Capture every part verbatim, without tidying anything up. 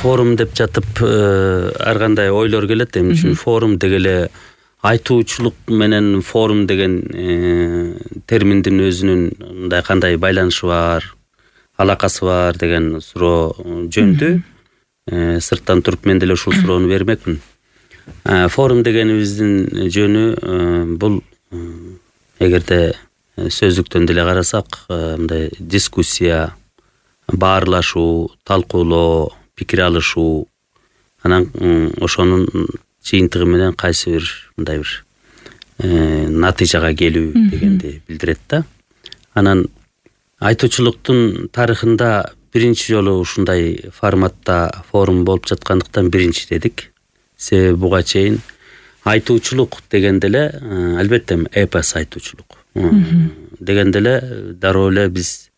форум деп жатып ар кандай ойлор келет. Эмне үчүн форум дегеле айтуучулук менен форум деген терминдин өзүнүн мындай кандай байланышы бар, алакасы бар деген суроо жөнүндө сырттан туруп мен деле ушул суроону бермекмин. Форум дегенибиздин жөнү бул эгерде сөздүктөн деле карасак, мындай дискуссия, баарлашуу, талкуулоо, пикир алышуу, анан ошонун жыйынтыгы менен кайсы бир мындай бир натыйжага келүү дегенди билдирет да. Анан айтуучулуктун тарыхында биринчи жолу ушундай форматта форум болуп жаткандыктан биринчи дедик. Себеби буга чейин айтуучулук дегенде эле албетте эпос айтуучулук дегенде эле дароо эле биз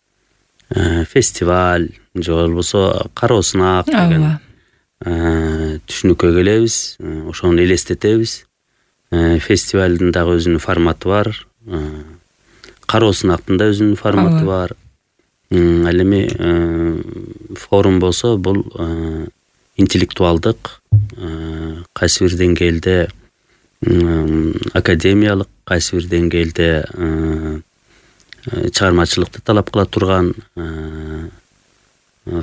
фестиваль же болбосо кароосунак деген түшүнүккө келебиз, ошону элестетебиз. Фестивалдын дагы өзүнүн форматы бар, кароосунактын да өзүнүн форматы бар. Ал эми форум болсо бул интеллектуалдык, кайсы бир деңгээлде академиялык, кайсы бир деңгээлде чыгармачылыкты талап кыла турган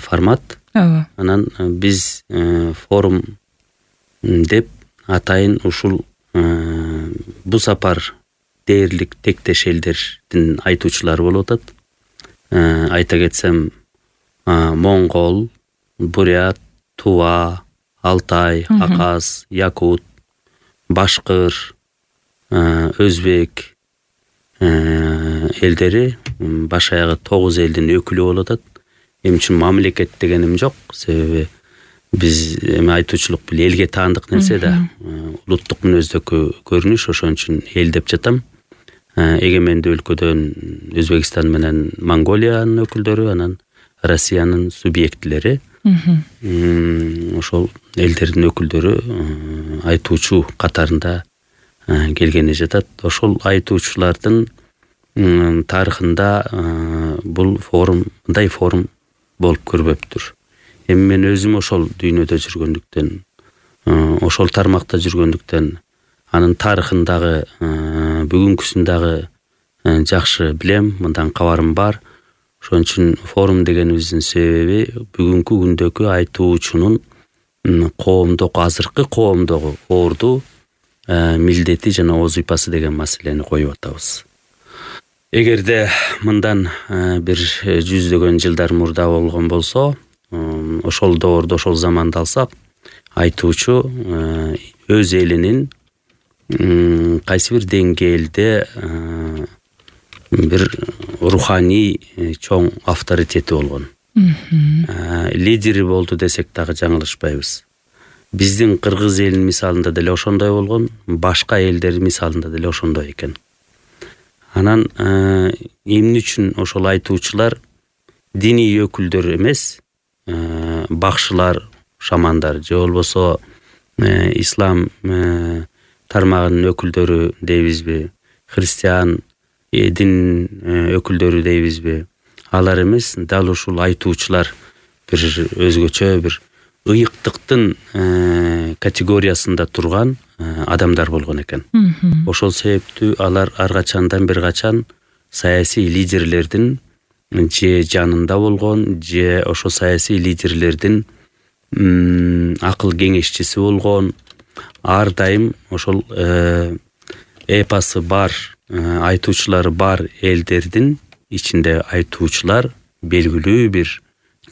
формат. Анан биз форум деп атайын ушул бу сапар дээрлик тектеш элдердин айтуучулары болуп атат. Айта кетсем, моңгол, бурят, тува, алтай, аказ, якут, башкыр, өзбек элдери баш аягы тогуз элдин өкүлү болуп атат. Эмне үчүн мамлекет дегеним жок, себеби биз эми айтуучулук бул элге таандык нерсе да, улуттук мүнөздөгү көрүнүш, ошон үчүн эл деп жатам. Эгемендүү өлкөдөн Өзбекстан менен Монголиянын өкүлдөрү, анан Россиянын субъектилери, ошол элдердин өкүлдөрү айтуучу катарында келгени жатат. Ошол айтуучулардын тарыхында бул форум, мындай форум болуп көрбөптүр. Эми мен өзүм ошол дүйнөдө жүргөндүктөн, ошол тармакта жүргөндүктөн, анын тарыхындагы, бүгүнкүсүндагы жакшы билем, мындан кабарым бар. Ошон үчүн форум дегенибиздин себеби бүгүнкү күндөгү айтуучунун коомдук, азыркы коомдогу орду милдети жана озуйпасы деген маселени коюп атабыз. Эгерде мындан бир жүздөгөн жылдар мурда болгон болсо, ошол доордо, ошол заманды алсак, айтуучу өз элинин кайсы бир деңгээлде бир руханий чоң авторитети болгон. Лидери болду десек дагы жаңылышпайбыз. Биздин кыргыз элинин мисалында деле ошондой болгон, башка элдер мисалында деле ошондой экен. Анан эмне үчүн ошол айтуучулар диний өкүлдөр эмес, бакшылар, шамандар же болбосо ислам тармагынын өкүлдөрү дейбизби, христиан дин өкүлдөрү дейбизби, алар эмес, дал ушул айтуучулар бир өзгөчө бир ыйыктыктын категориясында турган адамдар болгон экен. Ошол себептүү алар ар качандан бир качан саясий лидерлердин же жанында болгон, же ошо саясий лидерлердин акыл кеңешчиси болгон, ар дайым ошол эпосы бар, айтуучулары бар элдердин ичинде айтуучулар белгилүү бир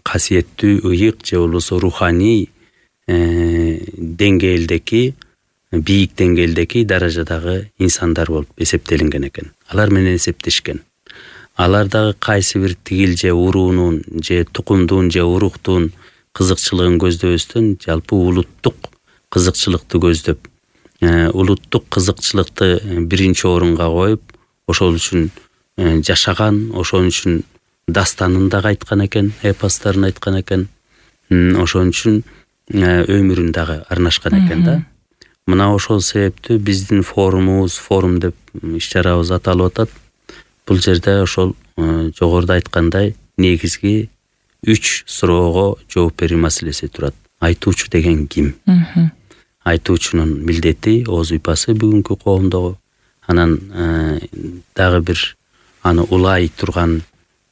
касиеттүү, ыйык же болбосо руханий деңгээлдеки, бийик деңгээлдеки даражадагы инсандар болуп эсептелинген экен. Алар менен эсептешкен. Алар дагы кайсы бир тигил же уруунун, же тукумдун, же уруктун кызыкчылыгын көздөбөстөн, жалпы улуттук кызыкчылыкты көздөп, улуттук кызыкчылыкты биринчи орунга коюп, ошол үчүн жашаган, ошон үчүн дастанын дагы айткан экен, эпостарын айткан экен, ошон үчүн өмүрүн дагы арнашкан экен да. Мына ошол себептүү биздин форумубуз, форум деп иш-чарабыз аталып атат. Бул жерде ошол жогоруда айткандай негизги үч суроого жооп берүү маселеси турат. айтуучу деген ким? Айтуучунун милдети, ооз уйпасы бүгүнкү коомдогу. Анан дагы бир аны улай турган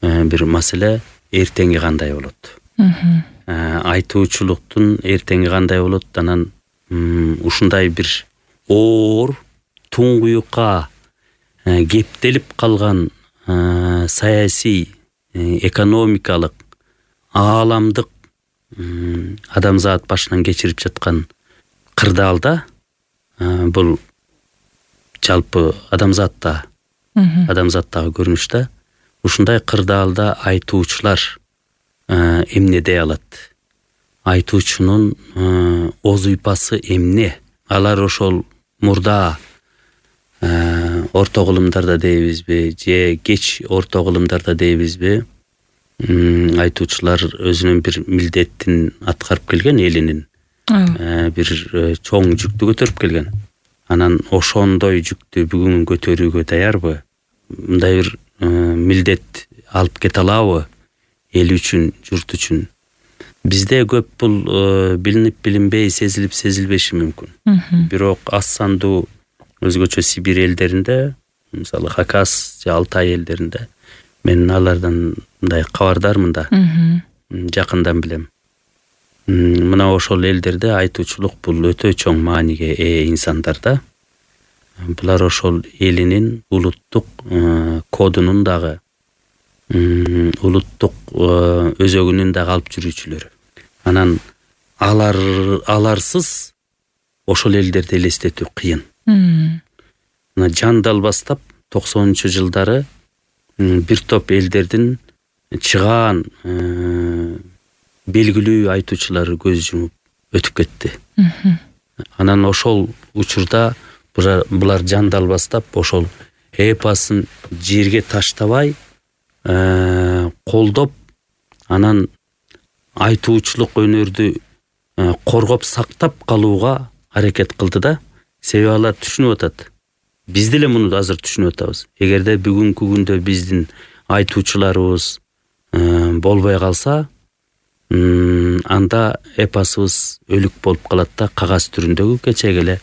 бир маселе эртеңи кандай болот? Айтуучулуктун эртеңи кандай болот? Анан ушундай бир оор, туңгуюкка кептелип калган саясий, экономикалык, ааламдык адамзат башынан кечирип жаткан кырдаалда, бул жалпы адамзатта, адамзаттагы көрүнүш да, ушундай кырдаалда айтуучулар эмне дей алат? Айтуучунун ооз уйпасы эмне? Алар ошол мурда орто кылымдарда дейбизби, же кеч орто кылымдарда дейбизби, айтуучулар өзүнүн бир милдетин аткарып келген, элинин бир чоң жүктү көтөрүп келген. Анан ошондой жүктү бүгүн көтөрүүгө даярбы? Мындай бир милдет алып кете алабы эл үчүн, журт үчүн? Бизде көп бул билинип билинбей, сезилип сезилбеши мүмкүн. Бирок аз сандуу өзгөчө Сибирь элдеринде, мисалы Хакас же Алтай элдеринде, мен алардан мындай кабардармын да, жакындан билем. Мына ошол элдерде айтуучулук бул өтө чоң мааниге ээ инсандар да. Булар ошол элинин улуттук кодунун дагы, улуттук өзөгүнүн дагы алып жүрүүчүлөрү. Анан алар аларсыз ошол элдерди элестетүү кыйын. Мына жандал баштап токсонунчу жылдары бир топ элдердин чыгаан белгилүү айтуучулары көз жумуп өтүп кетти. Анан ошол учурда булар жандал баштап ошол эпосын жерге таштабай колдоп, анан айтуучулук өнөрдү коргоп сактап калууга аракет кылды да. Себеби алар түшүнүп атат. Биз деле муну азыр түшүнүп атабыз. Эгерде бүгүнкү күндө биздин айтуучуларыбыз болбой калса, анда эпосубуз өлүк болуп калат да, кагаз түрүндөгү кечеги эле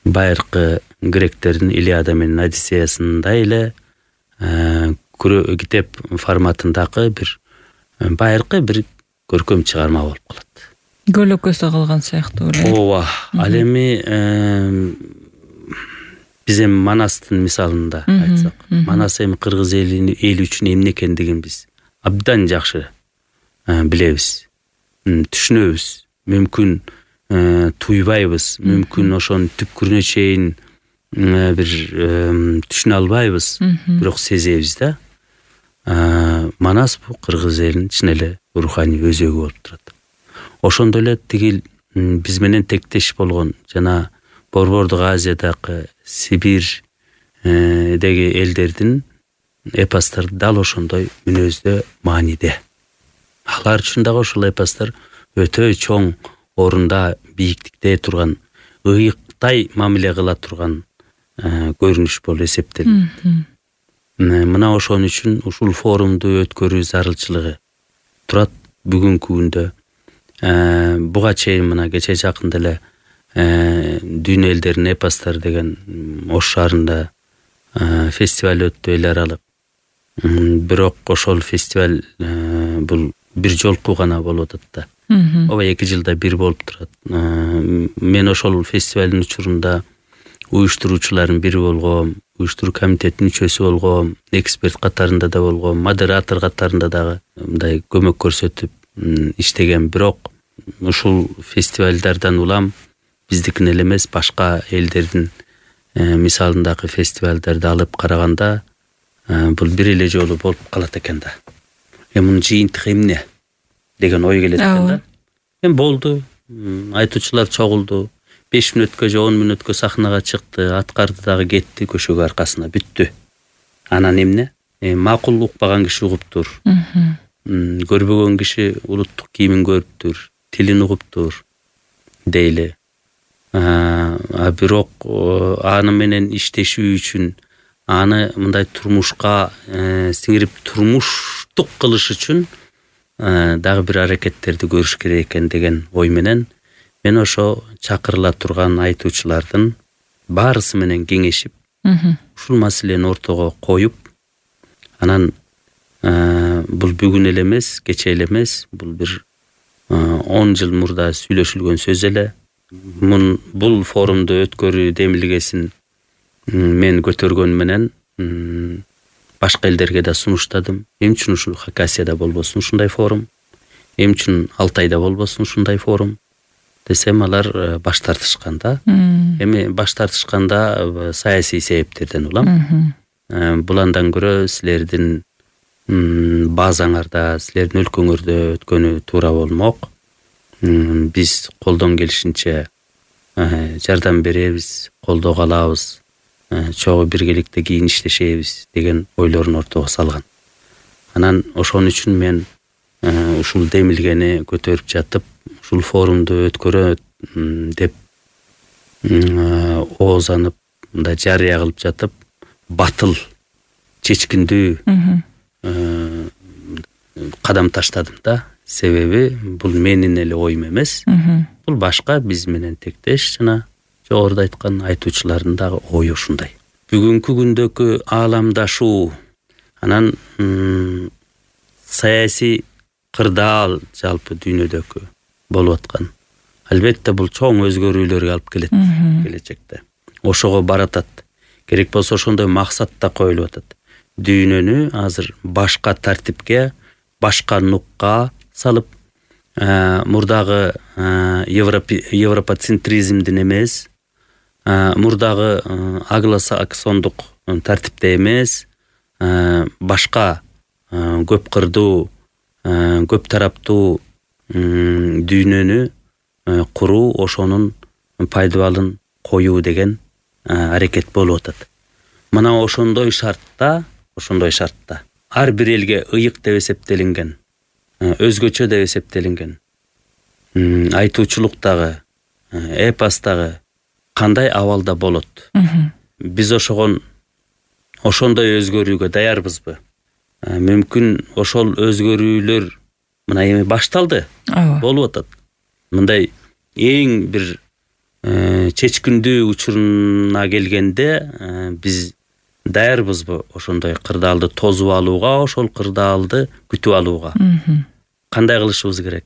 байыркы гректердин Илиада менен Одиссеясындай эле китеп форматындагы бир байыркы бир көркөм чыгарма болуп калат. Көлөкөсү калган сыяктуу эле. Ооба. Ал эми биз эми Манастын мисалында айтсак, Манас эми кыргыз эли үчүн эмне экендигин биз абдан жакшы билебиз, түшүнөбүз. Мүмкүн туйбайбыз, мүмкүн ошонун түпкүрүнө чейин бир түшүнө албайбыз, бирок сезебиз да. Манас бул кыргыз элинин чын эле руханий өзөгү болуп турат. Ошондой эле тигил биз менен тектеш болгон жана Борбордук Азиядагы Сибирь деги элдердин эпостор дал ошондой мүнөздө, мааниде. Алар үчүн дагы ошол эпостор өтө чоң орунда, бийиктикте турган, ыйыктай мамиле кыла турган көрүнүш болуп эсептелет. Мына ошон үчүн ушул форумду өткөрүү зарылчылыгы турат бүгүнкү күндө. Буга чейин мына кече жакында эле дүйнө элдеринин эпостор деген Ош шаарында фестиваль өттү, эл аралык. Бирок ошол фестиваль бул бир жолку гана болуп атат да. Ооба эки жылда бир болуп турат. Мен ошол фестивалдын учурунда уюштуруучулардын бири болгом, уюштуруу комитетинин мүчөсү болгом, эксперт катарында да болгом, модератор катарында дагы мындай көмөк көрсөтүп иштеген. Бирок ушул фестивалдардан улам биздикин эле эмес, башка элдердин мисалындагы фестивалдарды алып караганда бул бир эле жолу болуп калат экен да. Эми мунун жыйынтыгы эмне деген ой келет экен да. Эми болду, айтуучулар чогулду, беш мүнөткө же он мүнөткө сахнага чыкты, аткарды дагы кетти көшөгө аркасына, бүттү. Анан эмне? Макул укпаган киши угуптур. Көрбөгөн киши улуттук кийимин көрүптүр, тилин угуптур дейли. А бирок аны менен иштешүү үчүн, аны мындай турмушка сиңирип турмуштук кылыш үчүн дагы бир аракеттерди көрүш керек экен деген ой менен мен ошо чакырыла турган айтуучулардын баарысы менен кеңешип, ушул маселени ортого коюп, анан бул бүгүн эле эмес, кечээ эле эмес, бул бир он жыл мурда сүйлөшүлгөн сөз эле. Бул форумду өткөрүү демилгесин мен көтөргөн менен башка элдерге да сунуштадым. Эмне үчүн ушул Хакасияда болбосун ушундай форум? Эмне үчүн Алтайда болбосун ушундай форум? Десем, алар баш тартышкан да. Эми баш тартышканда саясий себептерден улам. Бул андан көрө силердин базаңарда, силердин өлкөңөрдө өткөнү туура болмок. Биз колдон келишинче жардам беребиз, колдоо алабыз, чогуу биргеликте кийин иштешебиз деген ойлорун ортого салган. Анан ошон үчүн мен ушул демилгени көтөрүп жатып, ушул форумду өткөрөт деп оозанып, мындай жарыя кылып жатып, батыл, чечкиндүү кадам таштадым да. Себеби бул менин эле оюм эмес. Бул башка биз менен тектеш жана жогоруда айткан айтуучулардын дагы ою ушундай. Бүгүнкү күндөгү ааламдашуу, анан саясий кырдаал жалпы дүйнөдөгү болуп аткан. Албетте бул чоң өзгөрүүлөргө алып келет келечекте. Ошого баратат. Керек болсо ошондой максат да коюлуп атат. Дүйнөнү азыр башка тартипке, башка нукка салып, мурдагы европоцентризмдин эмес, мурдагы англосаксондук тартипте эмес, башка көп кырдуу, көп тараптуу дүйнөнү куруу, ошонун пайдабалын коюу деген аракет болуп атат. Мына ошондой шартта, ошондой шартта ар бир элге ыйык деп эсептелинген, өзгөчө деп эсептелинген айтуучулуктагы, эпостагы кандай абалда болот? Биз ошогон ошондой өзгөрүүгө даярбызбы? Мүмкүн ошол өзгөрүүлөр мына эми башталды, болуп атат. Мындай эң бир чечкиндүү учуруна келгенде биз даярбызбы ошондой кырдаалды тосуп алууга, ошол кырдаалды күтүп алууга? Кандай кылышыбыз керек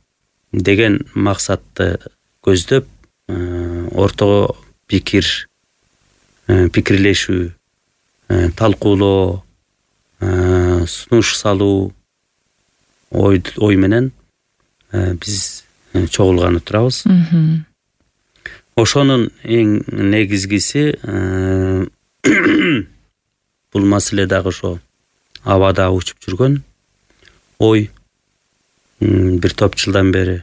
деген максатты көздөп, ортого пикир, пикирлешүү, талкуулоо, сунуш салуу ой менен биз чогулганы турабыз. Ошонун эң негизгиси бул маселе дагы ошо абада учуп жүргөн ой бир топ жылдан бери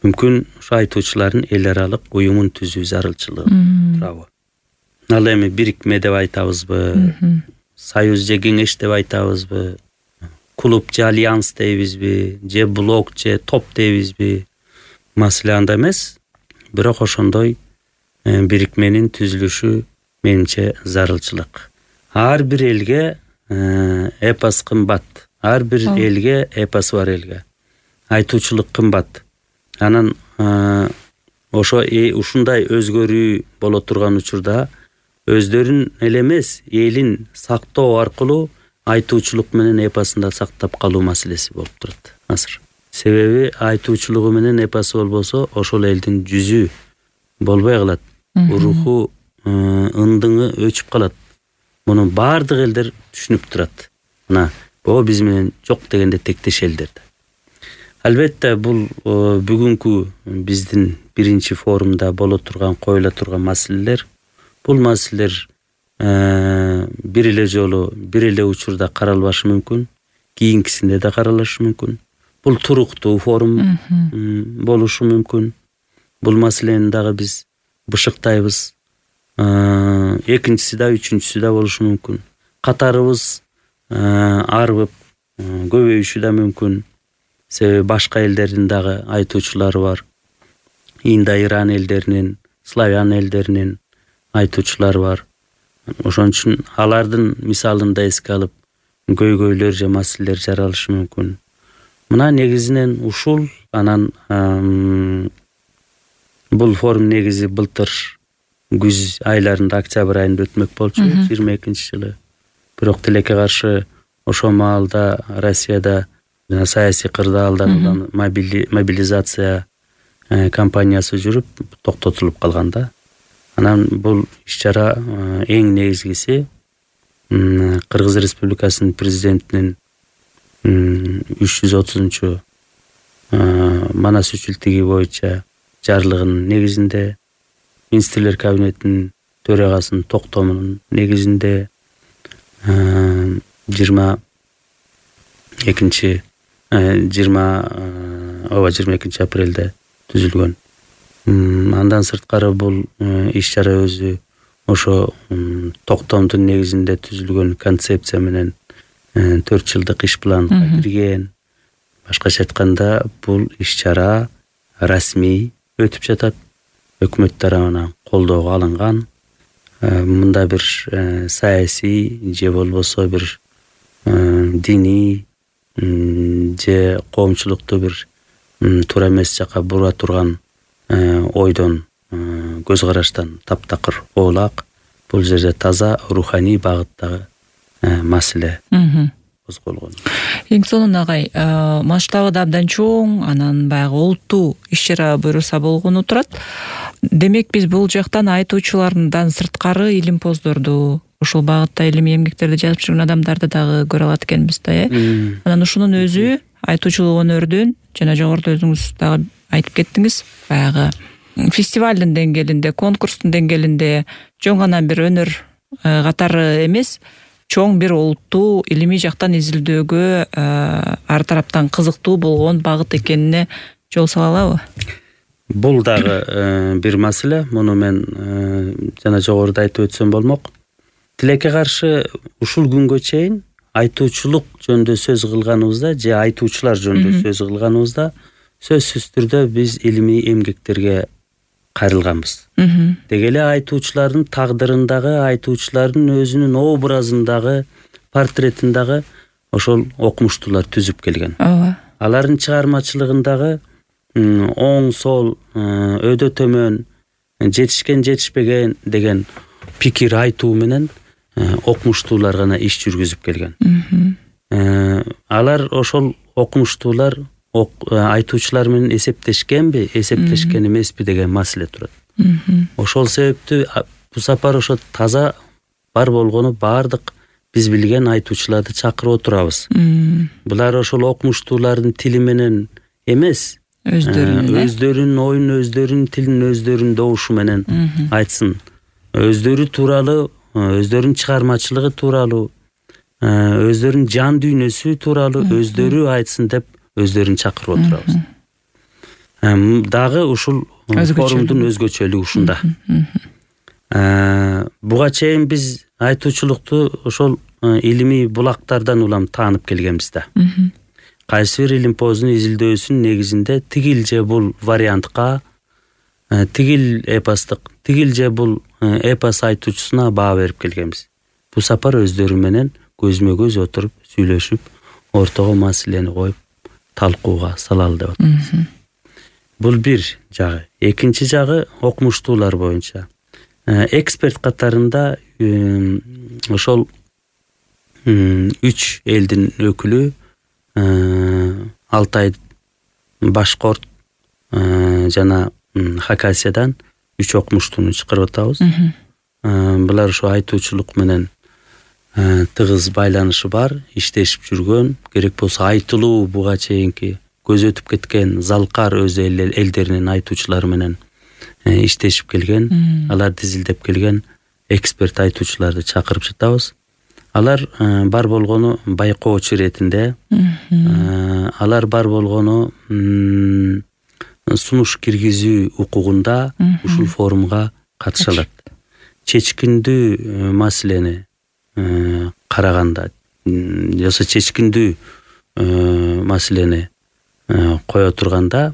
мүмкүн ошо айтуучулардын эл аралык уюмун түзүү зарылчылыгы турабы? Ал эми бирикме деп айтабызбы, союз же кеңеш деп айтабызбы, клуб же альянс дейбизби, же блок же топ дейбизби? Маселе анда эмес, бирок ошондой бирикменин түзүлүшү менимче зарылчылык. Ар бир элге эпос кымбат, ар бир элге эпосу бар элге айтуучулук кымбат. Анан ошо ушундай өзгөрүү боло турган учурда өздөрүн эле эмес, элин сактоо аркылуу айтуучулук менен эпосун да сактап калуу маселеси болуп турат азыр. Себеби айтуучулугу менен эпосу болбосо ошол элдин жүзү болбой калат, руху, ындыңы өчүп калат. Муну бардык элдер түшүнүп турат. Мына бул биз менен жок дегенде тектеш элдер. Албетте бул бүгүнкү биздин биринчи форумда боло турган, коюла турган маселелер, бул маселелер бир эле жолу, бир эле учурда каралбашы мүмкүн, кийинкисинде да каралышы мүмкүн. Бул туруктуу форум болушу мүмкүн. Бул маселени дагы биз бышыктайбыз. Экинчиси да, үчүнчүсү да болушу мүмкүн. Катарыбыз арбып көбөйүшү да мүмкүн. Себеби башка элдердин дагы айтуучулары бар. Инда-Иран элдеринин, славян элдеринин айтуучулары бар. Ошон үчүн алардын мисалын да эске алып, көйгөйлөр же маселелер жаралышы мүмкүн. Мына негизинен ушул анан бул форум негизи былтыр күз айларында, октябрь айында өтмөк болчу, жыйырма экинчи жылы. Бирок тилекке каршы ошол маалда Россияда саясий кырдаалдан улам мобилизация кампаниясы жүрүп токтотулуп калган да. Анан бул иш-чара эң негизгиси Кыргыз Республикасынын президентинин үч жүз отузунчу Манас үчүлтиги боюнча жарлыгынын негизинде, министрлер кабинетинин төрагасынын токтомунун негизинде жыйырма экинчи жыйырма ооба жыйырма экинчи апрелде түзүлгөн. Андан сырткары бул иш-чара өзү ошо токтомдун негизинде түзүлгөн концепция менен төрт жылдык иш планга кирген. Башкача айтканда, бул иш-чара расмий өтүп жатат, өкмөт тарабынан колдоого алынган. Мында бир саясий же болбосо бир диний же коомчулукту бир туура эмес жака бура турган ойдон, көз караштан таптакыр оолак. Бул жерде таза руханий багыттагы маселе козголгон. Эң сонун агай, масштабы да абдан чоң, анан баягы олуттуу иш-чара буюрса болгону турат. Демек биз бул жактан айтуучулардан сырткары илимпоздорду, ушул багытта илимий эмгектерди жазып жүргөн адамдарды дагы көрө алат экенбиз да, э? Анан ушунун өзү айтуучулук өнөрдүн, жана жогоруда өзүңүз дагы айтып кеттиңиз, баягы фестивалдын деңгээлинде, конкурстун деңгээлинде жөн гана бир өнөр катары эмес, чоң бир олуттуу илимий жактан изилдөөгө ар тараптан кызыктуу болгон багыт экенине жол сала алабы? Бул дагы бир маселе. Муну мен жана жогоруда айтып өтсөм болмок. Тилекке каршы ушул күнгө чейин айтуучулук жөнүндө сөз кылганыбызда же айтуучулар жөнүндө сөз кылганыбызда сөзсүз түрдө биз илимий эмгектерге кайрылганбыз. Деги эле айтуучулардын тагдырындагы, айтуучулардын өзүнүн образындагы, портретиндагы ошол окумуштуулар түзүп келген. Ооба. Алардын чыгармачылыгындагы оң, сол, өйдө төмөн, жетишкен, жетишпеген деген пикир айтуу менен окумуштуулар гана иш жүргүзүп келген. Алар ошол окумуштуулар айтуучулар менен эсептешкенби, эсептешкен эмеспи деген маселе турат. Ошол себептүү бул сапар ошо таза бар болгону бардык биз билген айтуучуларды чакырып отурабыз. Булар ошол окумуштуулардын тили менен эмес, өздөрүнүн оюн, өздөрүнүн тилин, өздөрүнүн добушу менен айтсын. Өздөрү тууралуу, өздөрүнүн чыгармачылыгы тууралуу, өздөрүнүн жан дүйнөсү тууралуу өздөрү айтсын деп өздөрүн чакырып отурабыз. Дагы ушул форумдун өзгөчөлүгү ушунда. Буга чейин биз айтуучулукту ошол илимий булактардан улам таанып келгенбиз да. Кайсы бир илимпоздун изилдөөсүнүн негизинде тигил же бул вариантка, тигил эпостук, тигил же бул эпос айтуучусуна баа берип келгенбиз. Бул сапар өздөрү менен көзмө көз отуруп, сүйлөшүп, ортого маселени коюп, талкууга салалы деп атабыз. Бул бир жагы. Экинчи жагы окумуштуулар боюнча. Эксперт катарында ошол үч элдин өкүлү, Алтай, Башкорт жана Хакасиядан үч окумуштууну чакырып атабыз. Булар ошо айтуучулук менен тыгыз байланышы бар, иштешип жүргөн, керек болсо айтылуу буга чейинки көз өтүп кеткен Залкар өз элдеринин айтуучулары менен иштешип келген, алар тизилдеп келген эксперт айтуучуларды чакырып жатабыз. Алар бар болгону байкоочу иретинде, алар бар болгону сунуш киргизүү укугунда ушул форумга катыша алат. Чечкиндүү маселени караганда, жаса чечкиндүү маселени кое турганда,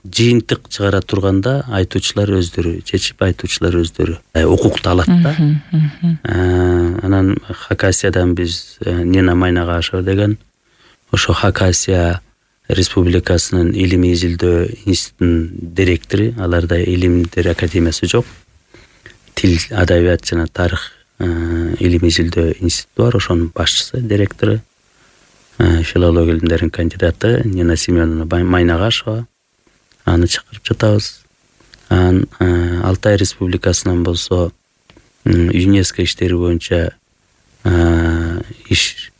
жыйынтык чыгара турганда айтуучулар өздөрү чечип, айтуучулар өздөрү укукту алат да. Анан Хакасиядан биз Нина Майнагашева деген ошо Хакасия Республикасынын илимий изилдөө институтунун директору, аларда илимдер академиясы жок. Тил, адабият жана тарых илимий изилдөө институту бар, ошонун башчысы, директору, филология илимдеринин кандидаты Нина Семеновна Майнагашева. Аны чакырып жатабыз. Анан Алтай Республикасынан болсо ЮНЕСКО иштери боюнча иш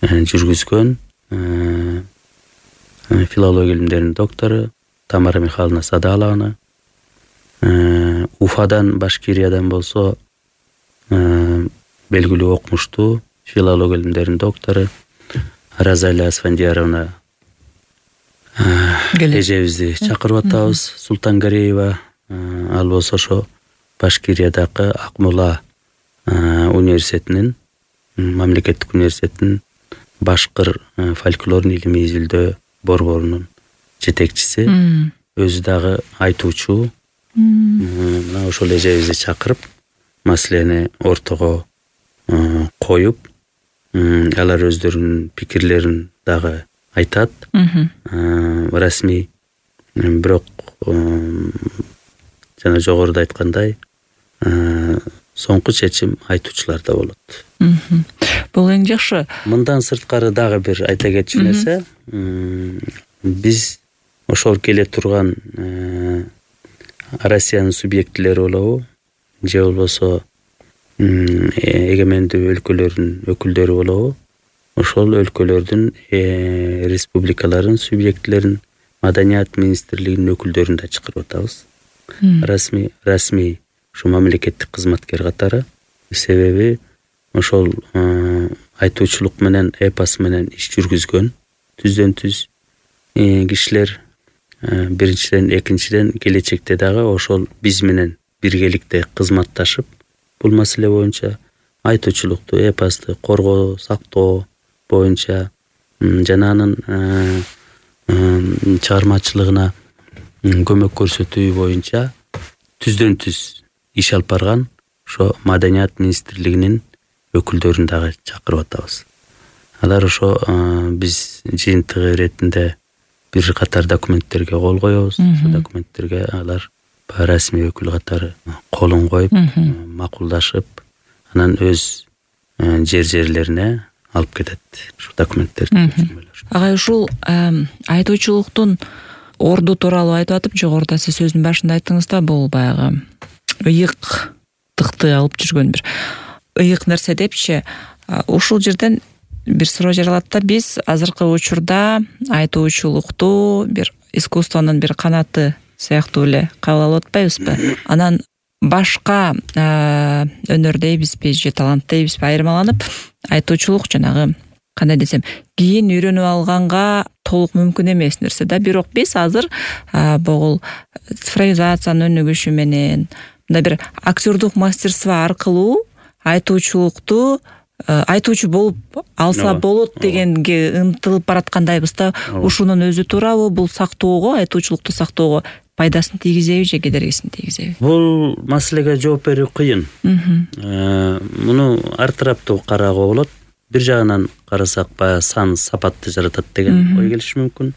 жүргүзгөн филология илимдеринин доктору Тамара Михайловна Садаловна. Уфадан, Башкириядан болсо белгилүү окумуштуу филология илимдеринин доктору Розалия Асфандияровна эжебизди чакырып атабыз. Султангареева, ал болсо ошо Башкириядагы Акмола университетинин, мамлекеттик университетинин башкыр фольклорун илимий изилдөө борборунун жетекчиси. Өзү дагы айтуучу. Мына ошол эжебизди чакырып, маселени ортого коюп, алар өздөрүнүн пикирлерин дагы айтат. Расмий, бирок жана жогоруда айткандай, соңку чечим айтуучуларда болот. Бул эң жакшы. Мындан сырткары дагы бир айта кетчү нерсе, биз ошол келе турган Россиянын субъектилери болобу, же болбосо эгемендүү өлкөлөрдүн өкүлдөрү болобу, ошол өлкөлөрдүн республикаларын субъектилерин маданият министрлигинин өкүлдөрүн да чакырып атабыз. Расмий, расмий ушу мамлекеттик кызматкер катары. Себеби ошол айтуучулук менен, эпос менен иш жүргүзгөн түздөн түз кишилер. Биринчиден, экинчиден келечекте дагы ошол биз менен биргеликте кызматташып, бул маселе боюнча айтуучулукту, эпосту коргоо, сактоо боюнча жана анын чыгармачылыгына көмөк көрсөтүү боюнча түздөн түз иш алып барган ошо маданият министрлигинин өкүлдөрүн дагы чакырып атабыз. Алар ошо биз жыйынтык иретинде бир катар документтерге кол коебуз. Ошол документтерге алар расмий өкүл катары колун коюп, макулдашып, анан өз жер жерлерине алып кетет ушу документтерди. Агай, ушул айтуучулуктун орду тууралуу айтып атып, жогоруда сиз сөздүн башында айттыңыз да, бул баягы ыйыктыкты алып жүргөн бир ыйык нерсе депчи. Ушул жерден бир суроо жаралат да, биз азыркы учурда айтуучулукту бир искусствонун бир канаты сыяктуу эле кабыл алып атпайбызбы? Анан башка өнөр дейбизби же талант дейбизби айырмаланып, айтуучулук жанагы кандай десем, кийин үйрөнүп алганга толук мүмкүн эмес нерсе да. Бирок биз азыр бул цифровизациянын өнүгүшү менен, мындай бир актёрдук мастерство аркылуу айтуучулукту айтуучу болуп алса болот дегенге ынтылып бараткандайбыз да. Ушунун өзү туурабы, бул сактоого, айтуучулукту сактоого пайдасын тийгизеби же кедергисин тийгизеби? Бул маселеге жооп берүү кыйын. Муну ар тараптуу кароого болот. Бир жагынан карасак, баягы сан сапатты жаратат деген ой келиши мүмкүн.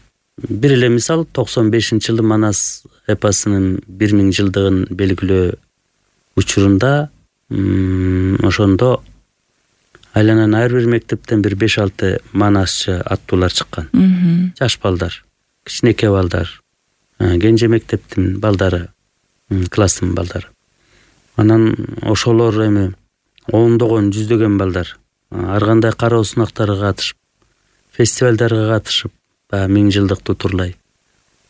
Бир эле мисал, токсон бешинчи жылы Манас эпосунун бир миң жылдыгын белгилөө учурунда ошондо айланан ар бир мектептен бир беш алты манасчы аттуулар чыккан. Жаш балдар, кичинекей балдар, кенже мектептин балдары, класстын балдары. Анан ошолор эми ондогон, жүздөгөн балдар ар кандай кароо сунактарга катышып, фестивалдарга катышып, баягы миң жылдыкту турлай.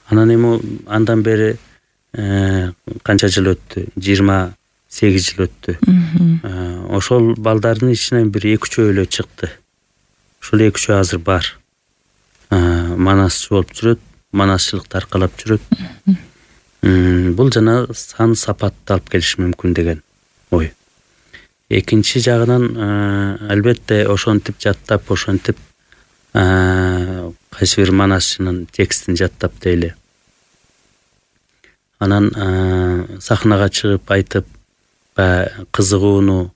Анан эми андан бери канча жыл өттү? жыйырма сегиз жыл өттү. Ошол балдардын ичинен бир эки үчөө эле чыкты. Ошол эки үчөө азыр бар. Манасчы болуп жүрөт, манасчылыкты аркалап жүрөт. Бул жана сан сапатты алып келиши мүмкүн деген ой. Экинчи жагынан албетте ошентип жаттап, ошентип кайсы бир манасчынын текстин жаттап дейли. Анан сахнага чыгып айтып, кызыгууну,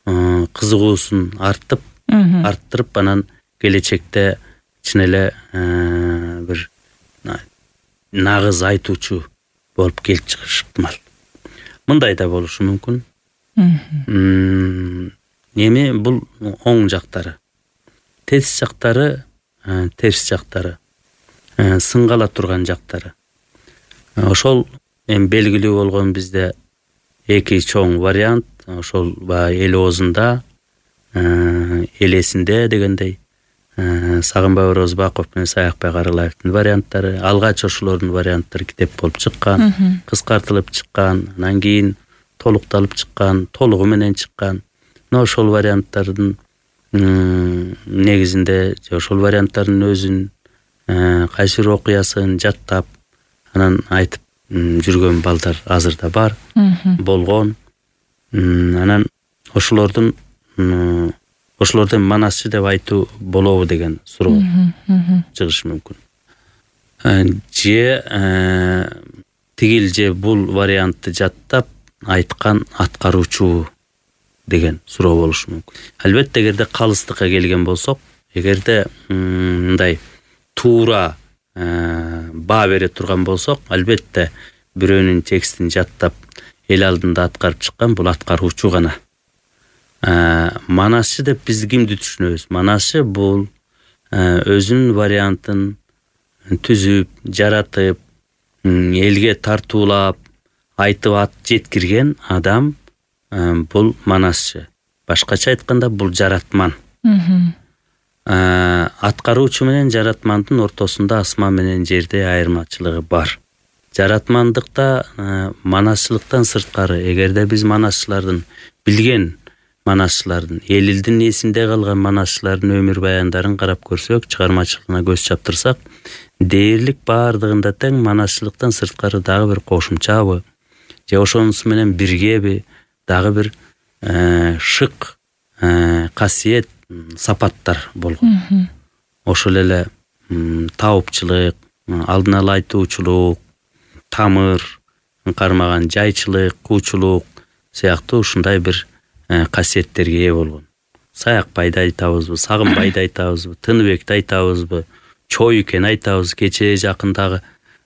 кызыгуусун артып, арттырып, анан келечекте чын эле бир нагыз айтуучу болуп келип чыгышы ыктымал. Мындай да болушу мүмкүн. Эми бул оң жактары. Терс жактары, терс жактары. Сынгала турган жактары. Ошол эми белгилүү болгон бизде эки чоң вариант, ошол баягы эл оозунда, элесинде дегендей Сагынбай Орозбаков менен Саякбай Каралаевдин варианттары, алгач ошолордун варианттары китеп болуп чыккан, кыскартылып чыккан, анан кийин толукталып чыккан, толугу менен чыккан. Мына ошол варианттардын негизинде ошол варианттардын өзүн кайсы бир окуясын жаттап анан айтып жүргөн балдар азырда бар, болгон. Анан ошолордун ошолордон манасчы деп айтуу болобу деген суроо чыгышы мүмкүн. Же тигил же бул вариантты жаттап айткан аткаруучу деген суроо болушу мүмкүн. Албетте эгерде калыстыкка келген болсок, эгерде мындай туура баа бере турган болсок, албетте бирөөнүн текстин жаттап эл алдында аткарып чыккан бул аткаруучу гана. Манасчы деп биз кимди түшүнөбүз? Манасчы бул өзүнүн вариантын түзүп, жаратып, элге тартуулап, айтып ат жеткирген адам бул манасчы. Башкача айтканда бул жаратман. Аткаруучу менен жаратмандын ортосунда асман менен жерде айырмачылыгы бар. Жаратмандыкта манасчылыктан сырткары, эгерде биз манасчылардын билген манасчылардын, эл элдин эсинде калган манасчылардын өмүр баяндарын карап көрсөк, чыгармачылыгына көз чаптырсак, дээрлик баардыгында тең манасчылыктан сырткары дагы бир кошумчабы, же ошонусу менен биргеби дагы бир шык касиет, сапаттар болгон. Ошол эле таапчылык, алдын ала айтуучулук, тамыр кармаган жайчылык, куучулук сыяктуу ушундай бир касиеттерге ээ болгон. Саякбайды айтабызбы, Сагынбайды айтабызбы, Тыныбекти айтабызбы, Чоюкен айтабыз, кечээ жакындагы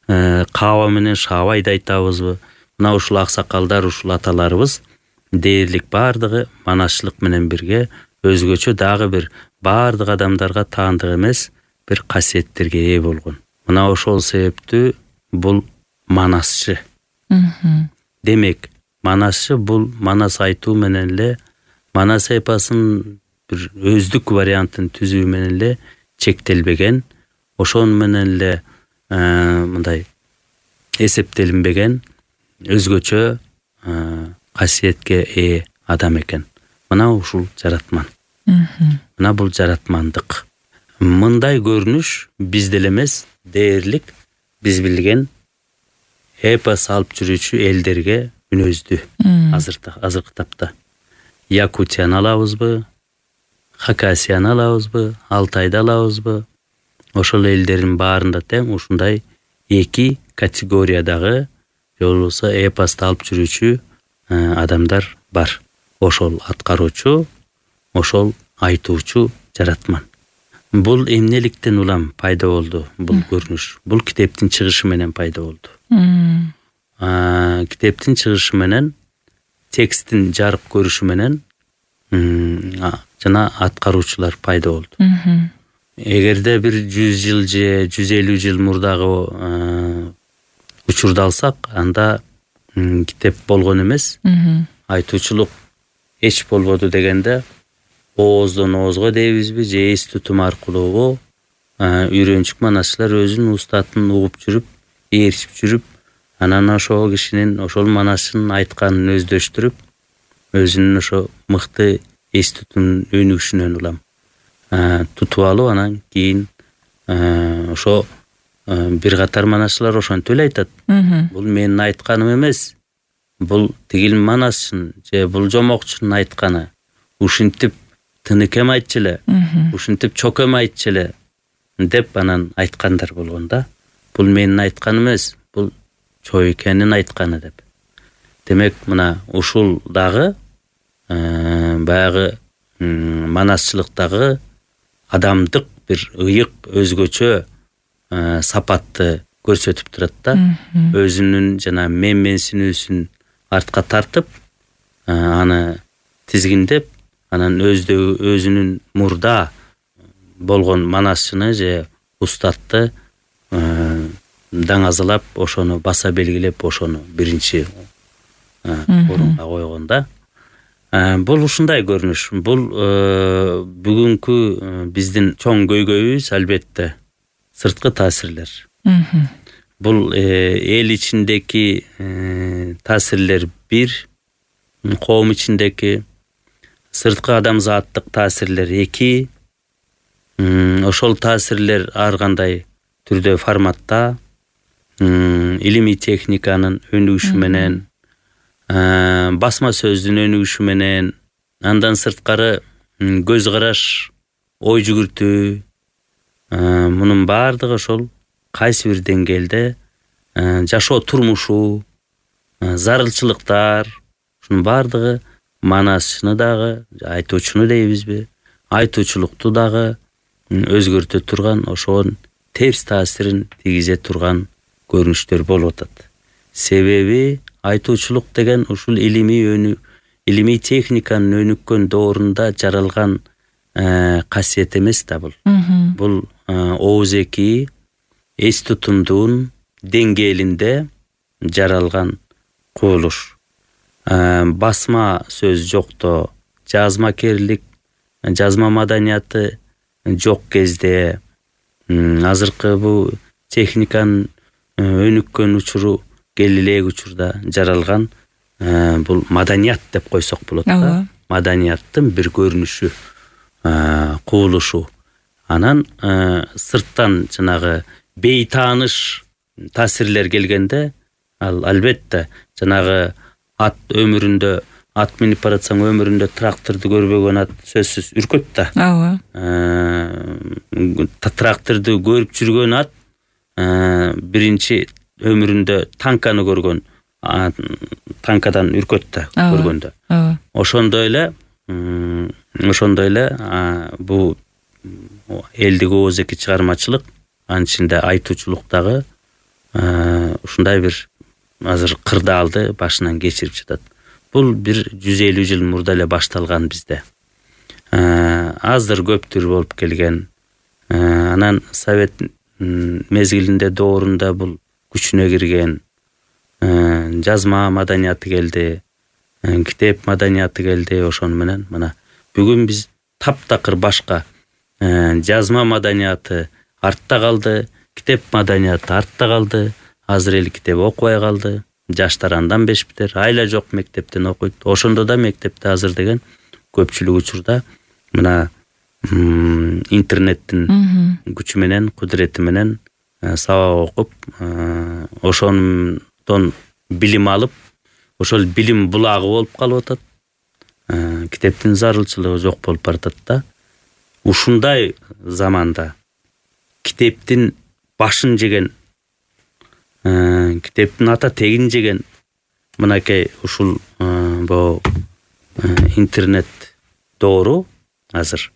Каба менен Шабайды айтабызбы. Мына ушул аксакалдар, ушул аталарыбыз дээрлик баардыгы манасчылык менен бирге өзгөчө дагы бир баардык адамдарга таандык эмес бир касиеттерге ээ болгон. Мына ошол себептүү бул манасчы. Демек, манасчы бул манас айтуу менен эле, манас эпосун бир өздүк вариантын түзүү менен эле чектелбеген, ошон менен эле мындай эсептелинбеген өзгөчө касиетке ээ адам экен. Мына ушул жаратман. Мына бул жаратмандык. Мындай көрүнүш бизде эле эмес, дээрлик биз билген эпос алып жүрүүчү элдерге мүнөздүү. Азырда, азыркы тапта Якутияны алабызбы, Хакасияны алабызбы, Алтайды алабызбы? Ошол элдердин баарында тең ушундай эки категориядагы же болбосо эпосты алып жүрүүчү адамдар бар. Ошол аткаруучу, ошол айтуучу жаратман. Бул эмнеликтен улам пайда болду бул көрүнүш? Бул китептин чыгышы менен пайда болду. Китептин чыгышы менен, текстин жарык көрүшү менен жана аткаруучулар пайда болду. Эгерде бир жүз жыл же жүз элүү жыл мурдагы учурду алсак, анда китеп болгон эмес. Айтуучулук эч болбоду дегенде ооздон оозго дейбизби же эс тутум аркылуу үйрөнчүк манасчылар өзүнүн устатын угуп жүрүп, ээрчип жүрүп, анан ошол кишинин, ошол манасчынын айтканын өздөштүрүп, өзүнүн ошо мыкты эс тутум өнүгүшүнөн улам тутуп алып, анан кийин ошо бир катар манасчылар ошентип эле айтат. Бул менин айтканым эмес, бул тигил манасчынын же бул жомокчунун айтканы. Ушинтип Тыныкем айтчу эле, ушинтип Чокем айтчу эле деп анан айткандар болгон да. Бул менин айтканым эмес, бул Чоюкенин айтканы деп. Демек, мына ушул дагы баягы манасчылыктагы адамдык бир ыйык өзгөчө сапатты көрсөтүп турат да. Өзүнүн жана менменсинүүсүн артка тартып, аны тизгиндеп, анан өздөгү өзүнүн мурда болгон манасчыны же устатты даңазалап, ошону баса белгилеп, ошону биринчи орунга койгон да. Бул ушундай көрүнүш. Бул бүгүнкү биздин чоң көйгөйүбүз албетте сырткы таасирлер. Бул эл ичиндеки таасирлер бир, коом ичиндеки сырткы адамзаттык таасирлер эки. Ошол таасирлер ар кандай түрдө форматта, илимий техниканын өнүгүшү менен, басма сөздүн өнүгүшү менен, андан сырткары көз караш, ой жүгүртүү, мунун баардыгы ошол кайсы бир деңгээлде жашоо турмушу, зарылчылыктар, ушунун баардыгы манасчыны дагы, айтуучуну дейбизби, айтуучулукту дагы өзгөртө турган, ошонун терс таасирин тийгизе турган көрүнүштөр болуп атат. Себеби айтуучулук деген ушул илимий өнү илимий техниканын өнүккөн доорунда жаралган касиет эмес да бул. Бул оозеки эс тутумдун деңгээлинде жаралган кубулуш. Басма сөз жокто, жазмакерлик, жазма маданияты жок кезде, азыркы бул техниканын өнүккөн учуру кел элек учурда жаралган бул маданият деп койсок болот да. Маданияттын бир көрүнүшү, кубулушу. Анан сырттан жанагы бейтааныш таасирлер келгенде, ал албетте жанагы ат өмүрүндө, ат минип баратсаң өмүрүндө тракторду көрбөгөн ат сөзсүз үркөт да. Ооба. Тракторду көрүп жүргөн ат биринчи өмүрүндө танканы көргөн, танкадан үркөт да көргөндө. Ошондой эле, ошондой эле бул элдик оозеки чыгармачылык, анын ичинде айтуучулук дагы ушундай бир азыр кырдаалды башынан кечирип жатат. Бул бир жүз элүү жыл мурда эле башталган бизде. Азыр көптүр болуп келген. Анан совет мезгилинде доорунда бул күчүнө кирген. Жазма маданияты келди, китеп маданияты келди, ошону менен мына бүгүн биз таптакыр башка. Жазма маданияты артта калды, китеп маданияты артта калды. Азыр эл китеп окубай калды. Жаштар андан бешпитер, айла жок мектептен окуйт. Ошондо да мектепте азыр деген көпчүлүк учурда мына интернеттин күчү менен, кудурети менен сабак окуп, ошондон билим алып, ошол билим булагы болуп калып атат. Китептин зарылчылыгы жок болуп баратат да. Ушундай заманда китептин башын жеген, китептин ата тегин жеген мынакей ушул бу интернет доору азыр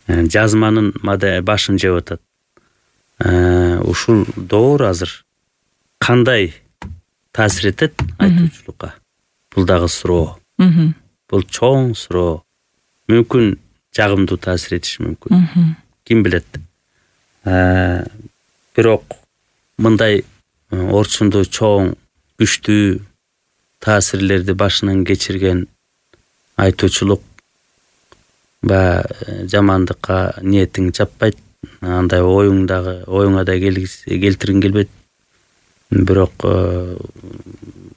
жазманын башын жеп атат. Ушул доор азыр кандай таасир этет айтуучулукка? Бул дагы суроо. Бул чоң суроо. Мүмкүн жагымдуу таасир этиши мүмкүн. Ким билет. Бирок мындай орчунду чоң, күчтүү таасирлерди башынан кечирген айтуучулук ба жамандыкка ниетиң жаппайт. Андай оюң дагы оюңа да келтиргиң келбейт. Бирок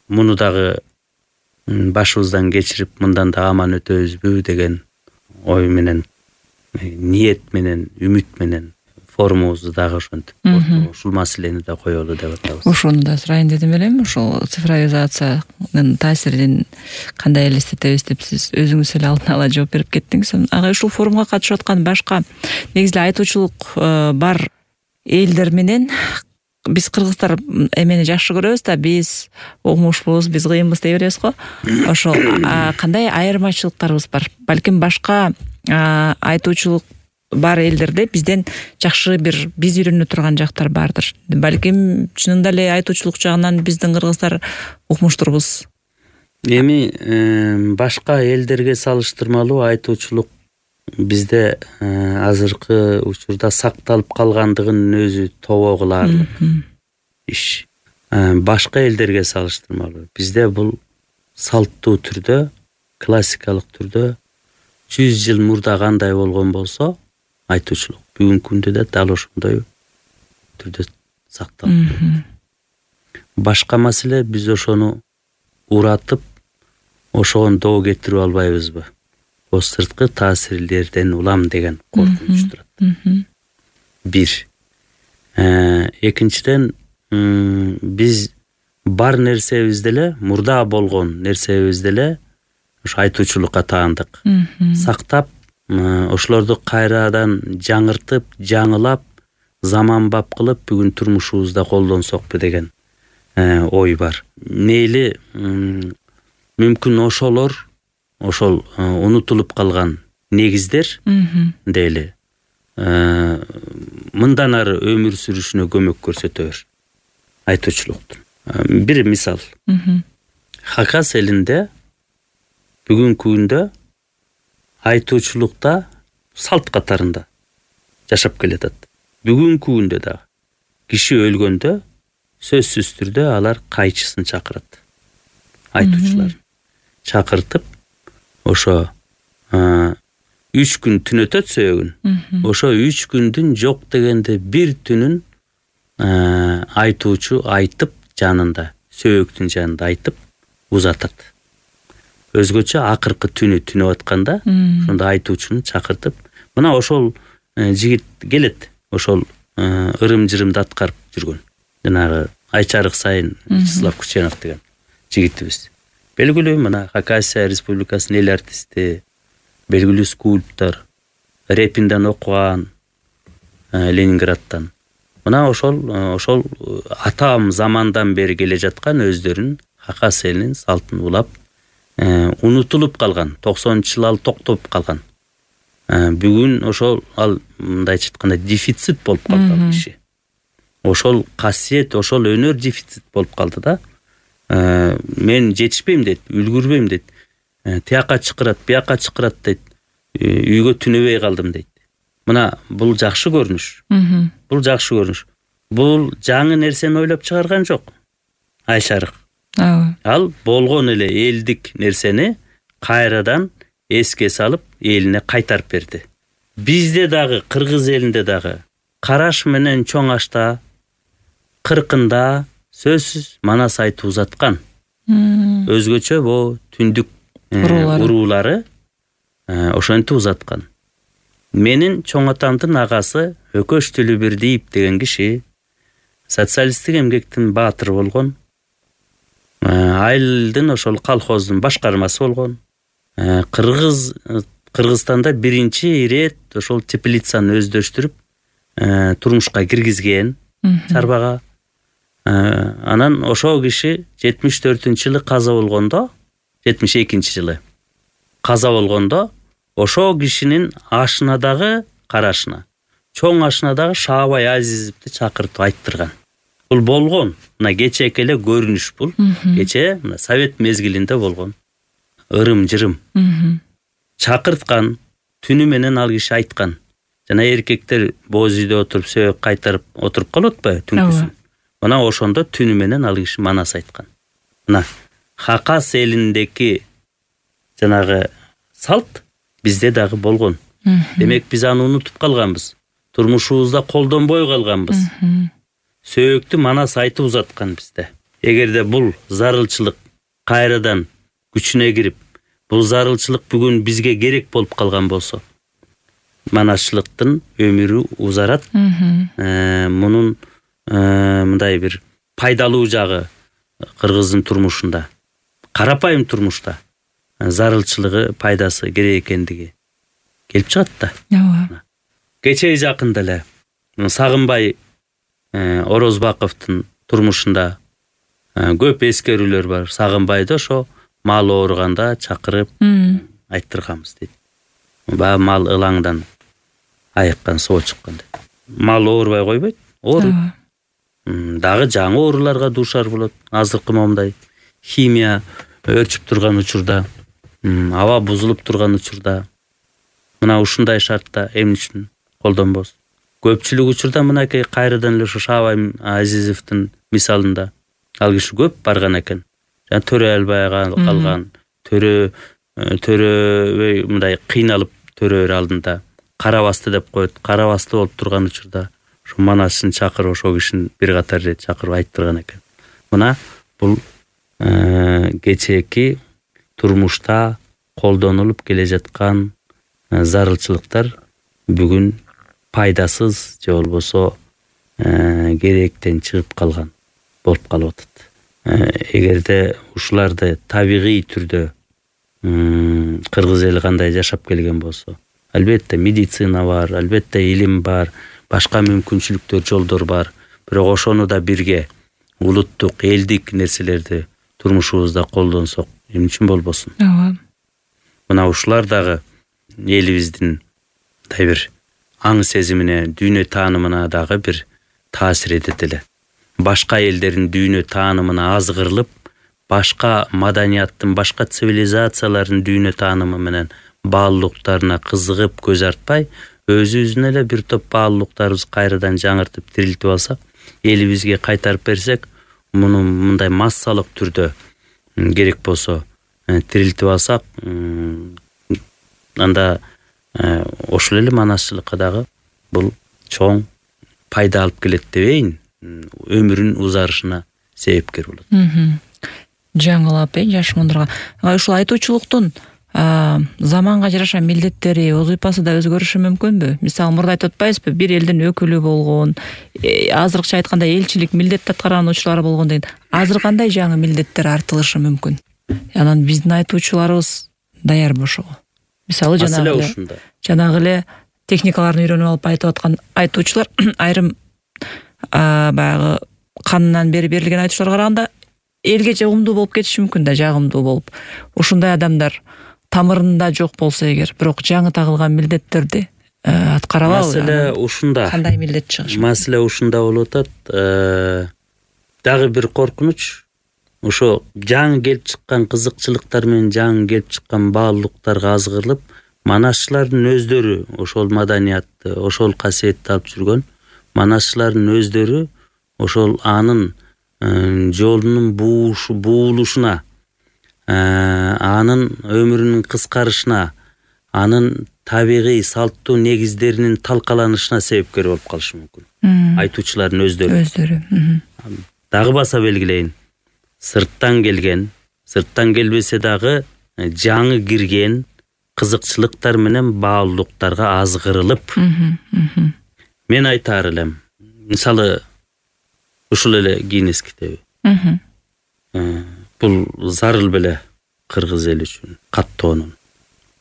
муну дагы башыбыздан кечирип, мындан да аман өтөбүзбү деген ой менен, ниет менен, үмүт менен форумубузду дагы ошентип, ушул маселени да коелу деп атабыз. Ошону да сурайын дедим элем. Ошол цифровизациянын таасирин кандай элестетебиз деп сиз өзүңүз эле алдын ала жооп берип кеттиңиз. Ага ушул форумга катышып аткан башка негизи айтуучулук бар элдер менен биз кыргыздар эмени жакшы көрөбүз да, биз окумушлуубуз, биз кыйынбыз дей беребиз го. Ошол кандай айырмачылыктарыбыз бар? Балким башка айтуучулук бар элдерде бизден жакшы бир биз үйрөнө турган жактар бардыр. Балким чынында эле айтуучулук жагынан биздин кыргыздар укмуштурбуз. Эми башка элдерге салыштырмалуу айтуучулук бизде азыркы учурда сакталып калгандыгынын өзү тобо кылаарлык иш. Башка элдерге салыштырмалуу бизде бул салттуу түрдө, классикалык түрдө жүз жыл мурда кандай болгон болсо, айтуучулук бүгүнкү күндө да дал ошондой түрдө сакталып турат. Башка маселе биз ошону уратып, ошого доо кетирип албайбызбы? О сырткы таасирлерден улам деген коркунуч турат. Бир. Экинчиден, биз бар нерсебизди эле, мурда болгон нерсебизди эле ошо айтуучулукка таандык. Сактап, ошолорду кайрадан жаңыртып, жаңылап, заманбап кылып бүгүн турмушубузда колдонсокпу деген ой бар. Мейли мүмкүн ошолор, ошол унутулуп калган негиздер дейли мындан ары өмүр сүрүшүнө көмөк көрсөтөбүр айтуучулуктун. Бир мисал. Хакас элинде бүгүнкү күндө айтуучулукта салт катарында жашап келатат. Бүгүнкү күндө да киши өлгөндө сөзсүз түрдө алар кайчысын чакырат. Айтуучулар чакыртып, ошо үч күн түн өтөт сөөгүн. Ошо үч күндүн жок дегенде бир түнүн айтуучу айтып жанында, сөөгүнүн жанында айтып узатат. Өзгөчө акыркы түнү түнөп атканда, ошондо айтуучуну чакыртып, мына ошол жигит келет, ошол ырым-жырымды аткарып жүргөн. Жанагы Айчарык сайын Вячеслав Кученов деген жигитибиз. Белгилүү мына Хакасия Республикасынын эл артисти, белгилүү скульптор, репинден окуган Ленинградтан. Мына ошол ошол атам замандан бери келе жаткан өздөрүнүн Хакас элинин салтын улап, унутулуп калган, токсонунчу жылы ал токтоп калган. Бүгүн ошол ал мындайча айтканда дефицит болуп калды ал киши. Ошол касиет, ошол өнөр дефицит болуп калды да. Мен жетишпейм дейт, үлгүрбөйм дейт. Тияка чакырат, бияка чакырат дейт. Үйгө түнөбөй калдым дейт. Мына бул жакшы көрүнүш. Бул жакшы көрүнүш. Бул жаңы нерсени ойлоп чыгарган жок. Айшарык. Ал болгон эле элдик нерсени кайрадан эске салып, элине кайтарып берди. Бизде дагы, кыргыз элинде дагы караш менен чоң ашта, кыркында сөзсүз манас айтып узаткан. Өзгөчө бу түндүк уруулары ошентип узаткан. Менин чоң атамдын агасы Өкөш Төлөбердиев деген киши социалисттик эмгектин баатыры болгон. Айылдын ошол колхоздун башкармасы болгон. Кыргыз Кыргызстанда биринчи ирет ошол теплицаны өздөштүрүп турмушка киргизген чарбага. Анан ошол киши жетимиш төртүнчү жылы каза болгондо, жетимиш экинчи жылы каза болгондо, ошол кишинин ашынадагы карашына, чоң ашынадагы Шаабай Азизовду чакыртып айттырган. Бул болгон, мына кечээки эле көрүнүш бул. Кечээ мына совет мезгилинде болгон. Ырым-жырым. Чакырткан, түнү менен ал киши айткан. Жана эркектер боз үйдө отуруп сөөк кайтарып отуруп калат атпайбы түнкүсүн. Мына ошондо түнү менен ал киши манас айткан. Мына Хакас элиндеки жанагы салт бизде дагы болгон. Демек биз аны унутуп калганбыз. Турмушубузда колдонбой калганбыз. Сөөктү манас айтып узаткан бизде. Эгерде бул зарылчылык кайрадан күчүнө кирип, бул зарылчылык бүгүн бизге керек болуп калган болсо, манасчылыктын өмүрү узарат. Мунун мындай бир пайдалуу жагы кыргыздын турмушунда, карапайым турмушта зарылчылыгы, пайдасы керек экендиги келип чыгат да. Ооба. Кечээ жакында эле Сагынбай Орозбаковдун турмушунда көп эскерүүлөр бар. Сагынбайды ошо мал ооруганда чакырып айттырганбыз дейт. Баягы мал ылаңдан айыккан соо чыккан деп. Мал оорубай койбойт, ооруйт. Дагы жаңы ооруларга дуушар болот. Азыркы момундай химия өрчүп турган учурда, аба бузулуп турган учурда, мына ушундай шартта эмне үчүн колдонбос? Көпчүлүк учурда мынакей кайрадан эле ушу Шаабай Азизовдун мисалында ал киши көп барган экен. Жана төрө албай калган, төрө төрөбөй мындай кыйналып төрөөр алдында карабасты деп коет. Карабасты болуп турган учурда ушу Манашын чакырып ошол кишини бир катар ирет чакырып айтып турган экен. Мына бул кечээки турмушта колдонулуп келе жаткан зарылчылыктар бүгүн пайдасыз же болбосо керектен чыгып калган болуп калып атат. Эгерде ушуларды табигый түрдө кыргыз эли кандай жашап келген болсо, албетте медицина бар, албетте илим бар, башка мүмкүнчүлүктөр, жолдор бар. Бирок ошону да бирге улуттук, элдик нерселерди турмушубузда колдонсок, эмне үчүн болбосун? Ооба. Мына ушулар дагы элибиздин мындай бир аң сезимине, дүйнө таанымына дагы бир таасир этет эле. Башка элдердин дүйнө таанымына азгырылып, башка маданияттын, башка цивилизациялардын дүйнө таанымы менен баалуулуктарына кызыгып көз артпай, өзүбүздүн эле бир топ баалуулуктарыбыз кайрадан жаңыртып тирилтип алсак, элибизге кайтарып берсек, муну мындай массалык түрдө керек болсо тирилтип алсак, анда ошол эле манасчылыкка дагы бул чоң пайда алып келет дебейин, өмүрүн узарышына себепкер болот. Жаңылап, э, жаш мундурга. Ушул айтуучулуктун заманга жараша милдеттери, вазыйпасы да өзгөрүшү мүмкүнбү? Мисалы, мурда айтып атпайбызбы, бир элдин өкүлү болгон, азыркыча айтканда элчилик милдет аткарган учурлары болгон деген. Азыр кандай жаңы милдеттер артылышы мүмкүн? Анан биздин айтуучуларыбыз даярбы ошого? Мисалы, жанагы эле жанагы эле техникаларын үйрөнүп алып айтып аткан айтуучулар айрым баягы канынан бери берилген айтуучуларга караганда элге жагымдуу болуп кетиши мүмкүн да, жагымдуу болуп. Ушундай адамдар тамырында жок болсо эгер, бирок жаңы тагылган милдеттерди аткара алабы? Маселе ушунда. Кандай милдет чыгышы? Маселе ушунда болуп атат. Дагы бир коркунуч, ошо жаңы келип чыккан кызыкчылыктар менен жаңы келип чыккан баалуулуктарга азгырылып, манашчылардын өздөрү ошол маданиятты, ошол касиетти алып жүргөн манашчылардын өздөрү ошол анын жолунун буулушуна, анын өмүрүнүн кыскарышына, анын табигый салттуу негиздеринин талкаланышына себепкер болуп калышы мүмкүн. Айтуучулардын өздөрү. Өздөрү. Дагы баса белгилейин. Сырттан келген, сырттан келбесе дагы жаңы кирген кызыкчылыктар менен баалуулуктарга азгырылып. Мен айтаар элем. Мисалы, ушул эле Гиннес китеби. Бул зарыл беле кыргыз эли үчүн каттоонун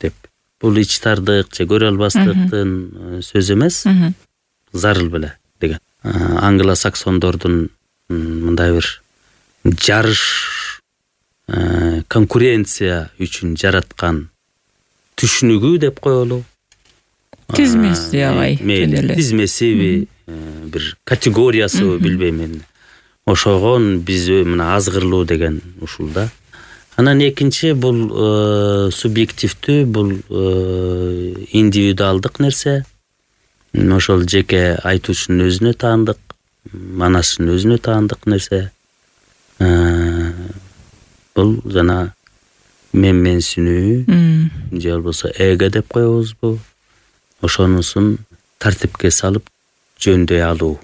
деп. Бул ичтардык же көрө албастыктын сөзү эмес, зарыл беле деген. Англо-саксондордун мындай бир жарыш, конкуренция үчүн жараткан түшүнүгү деп коелу. Тизмеси агай. Тизмесиби, бир категориясы билбейм мен. Ошогон биз мына азгырылуу деген ушул да. Анан экинчи бул субъективдүү, бул индивидуалдык нерсе. Ошол жеке айтуучунун өзүнө таандык, манашчынын өзүнө таандык нерсе. Бул жана менменсинүү же болбосо эго деп коебузбу? Ошонусун тартипке салып жөндөй алуу.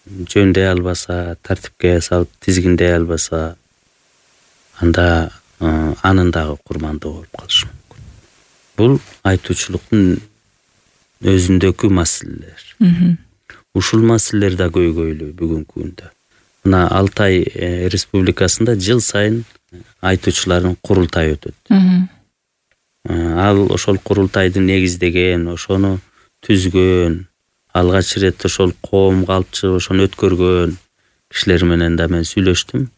Жөндөй албаса, тартипке салып тизгиндей албаса, анда анын дагы курмандыгы болуп калышы мүмкүн. Бул айтуучулуктун өзүндөгү маселелер. Ушул маселелер да көйгөйлүү бүгүнкү күндө. Мына Алтай республикасында жыл сайын айтуучулардын курултайы өтөт. Ал ошол курултайды негиздеген, ошону түзгөн, алгач ирет ошол коомго алып чыгып ошону өткөргөн кишилер менен да мен сүйлөштүм.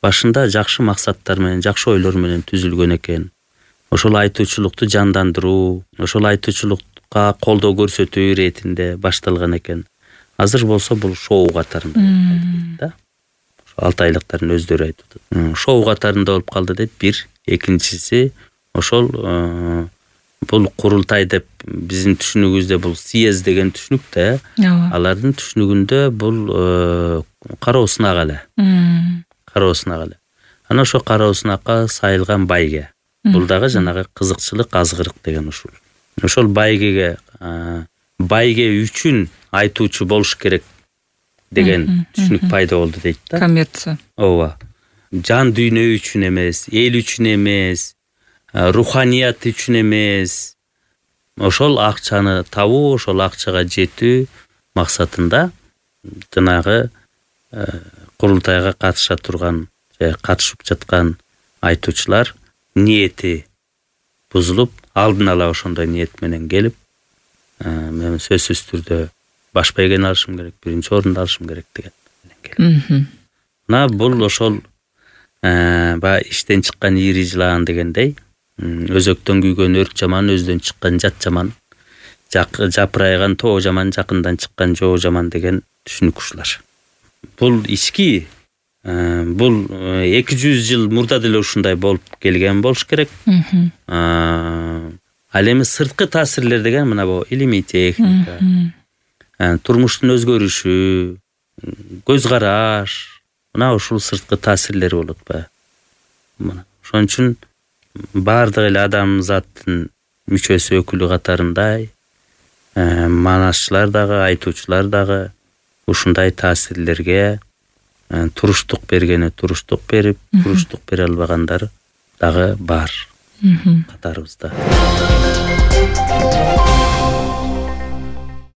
Башында жакшы максаттар менен, жакшы ойлор менен түзүлгөн экен. Ошол айтуучулукту жандандыруу, ошол айтуучулук улутка колдоо көрсөтүү иретинде башталган экен. Азыр болсо бул шоу катарында дейт да. Алты айлыктардын өздөрү айтып атат. Шоу катарында болуп калды дейт. Бир, экинчиси ошол бул курултай деп биздин түшүнүгүбүздө бул съезд деген түшүнүк да. Алардын түшүнүгүндө бул кароо сынак эле. Кароо сынак эле. Анан ошо кароо сынакка сайылган байге. Бул дагы жанагы кызыкчылык, азгырык деген ушул. Ошол байгеге байге үчүн айтуучу болуш керек деген түшүнүк пайда болду дейт да. Коммерция. Ооба. Жан дүйнө үчүн эмес, эл үчүн эмес, руханият үчүн эмес. Ошол акчаны табуу, ошол акчага жетүү максатында жанагы курултайга катыша турган, же катышып жаткан айтуучулар ниети бузулуп, алдын ала ошондой ниет менен келип, мен сөзсүз түрдө баш байгени алышым керек, биринчи орунду алышым керек деген. Мына бул ошол баягы иштен чыккан ири жылаан дегендей, өзөктөн күйгөн өрт жаман, өздөн чыккан жат жаман, жапырайган тоо жаман, жакындан чыккан жоо жаман деген түшүнүк ушулар. Бул ички, бул эки жүз жыл мурда деле ушундай болуп келген болуш керек. Ал эми сырткы таасирлер деген мына бу илимий техника, турмуштун өзгөрүшү, көз караш, мына ушул сырткы таасирлери болот баягы. Мына ошон үчүн баардык эле адамзаттын мүчөсү, өкүлү катарындай манашчылар дагы, айтуучулар дагы ушундай таасирлерге туруштук бергени туруштук берип, туруштук бере албагандар дагы бар катарыбызда.